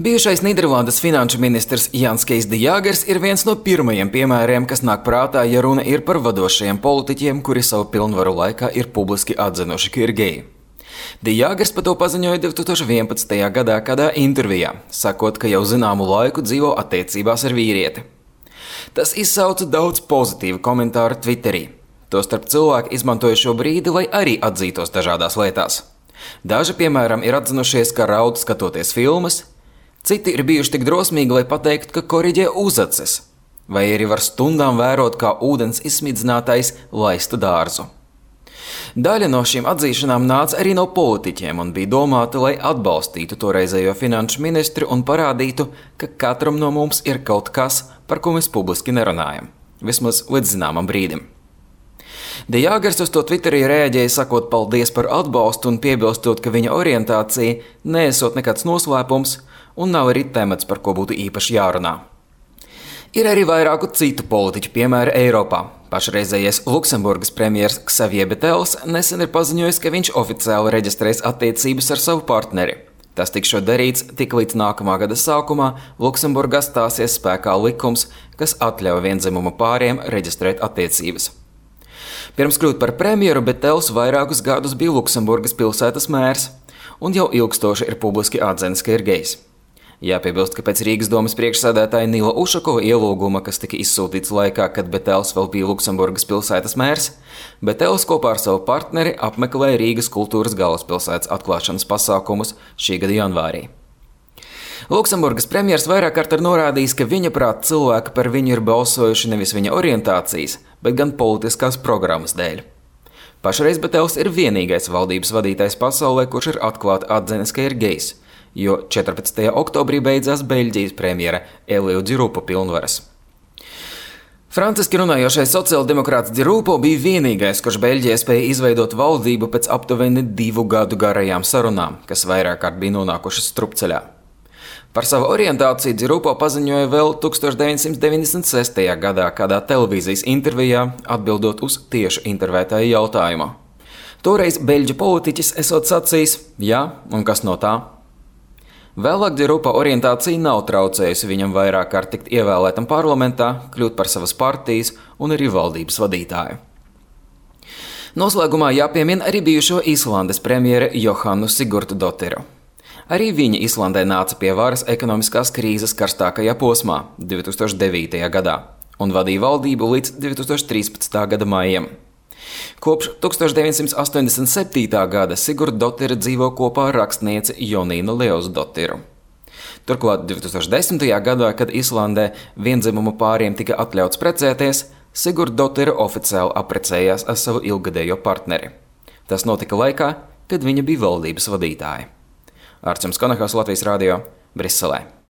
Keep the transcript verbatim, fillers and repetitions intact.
Bijušais Nīderlandes finanšu ministrs Jans Kees de Jāgers ir viens no pirmajiem piemēriem, kas nāk prātā, ja runa ir par vadošajiem politiķiem, kuri savu pilnvaru laikā ir publiski atzinuši, ka ir geji. De Jāgers par to paziņoja divi tūkstoši vienpadsmitajā gadā kādā intervijā, sakot, ka jau zināmu laiku dzīvo attiecībās ar vīrieti. Tas izsauca daudz pozitīvu komentāru Twitterī. Tostarp cilvēki izmantoja šo brīdi, lai arī atzītos dažādās lietās. Daži, piemēram, ir atzinušies, ka raud skatoties filmas, citi ir bijuši tik drosmīgi, lai pateiktu, ka koriģē uzacis, vai arī var stundām vērot, kā ūdens izsmidzinātais laista dārzu. Daļa no šīm atzīšanām nāca arī no politiķiem un bija domāta, lai atbalstītu toreizējo finanšu ministri un parādītu, ka katram no mums ir kaut kas, par ko mēs publiski nerunājam, vismaz līdz zināmam brīdim. De Jāgers uz to Twitterī reaģēja, sakot paldies par atbalstu un piebilstot, ka viņa orientācija neesot nekāds noslēpums un nav arī temats, par ko būtu īpaši jārunā. Ir arī vairāku citu politiķu piemēri Eiropā. Pašreizējais Luksemburgas premjers Xavier Betels nesen ir paziņojis, ka viņš oficiāli reģistrēs attiecības ar savu partneri. Tas tikšot darīts tik līdz nākamā gada sākumā Luksemburgā stāsies spēkā likums, kas atļauj viendzimumu pāriem reģistrēt attiecības. Pirms kļūt par premjeru, Betels vairākus gadus bija Luksemburgas pilsētas mērs un jau ilgstoši ir publiski atzinis, ka ir gejs. Jāpiebilst, ka pēc Rīgas domas priekšsēdētāja Nila Ušakova ielūguma, kas tika izsūtīts laikā, kad Betels vēl bija Luksemburgas pilsētas mērs, Betels kopā ar savu partneri apmeklēja Rīgas kultūras galvaspilsētas atklāšanas pasākumus šī gada janvārī. Luksemburgas premjers vairāk kārt ir norādījis, ka viņa prāt cilvēki par viņu ir balsojuši nevis viņa orientācijas, bet gan politiskās programmas dēļ. Pašreiz Betels ir vienīgais valdības vadītājs pasaulē, kurš ir atklāti atzinis, ka ir gejs, jo četrpadsmitajā oktobrī beidzās Beļģijas premjera Elio Di Rupo pilnvaras. Franciski runājošais sociāldemokrāts Di Rupo bija vienīgais, kurš Beļģijai spēja izveidot valdību pēc aptuveni divu gadu garajām sarunām, kas vairāk kārt bija nonākušas strupceļā. Par savu orientāciju Di Rupo paziņoja vēl tūkstoš deviņsimt deviņdesmit sestajā gadā kādā televīzijas intervijā, atbildot uz tieši intervētāju jautājumu. Toreiz beļģu politiķis esot sacījis, jā, un kas no tā? Vēlāk Di Rupo orientācija nav traucējusi viņam vairāk kārt tikt ievēlētam parlamentā, kļūt par savas partijas un arī valdības vadītāju. Noslēgumā jāpiemina arī bijušo Islandes premjere Johannu Sigurðardóttiru. Arī viņa Islandē nāca pie varas ekonomiskās krīzes karstākajā posmā divi tūkstoši devītajā gadā un vadīja valdību līdz divi tūkstoši trīspadsmitā gada maijam. Kopš tūkstoš deviņsimt astoņdesmit septītā gada Sigurðardóttir dzīvo kopā ar rakstnieci Jonīnu Leósdottiru. Turklāt divi tūkstoši desmitajā gadā, kad Islandē viendzimumu pāriem tika atļauts precēties, Sigurðardóttir oficiāli apprecējās ar savu ilggadējo partneri. Tas notika laikā, kad viņa bija valdības vadītāja. Arčuns Konahals, Latvijas radio, Briselē.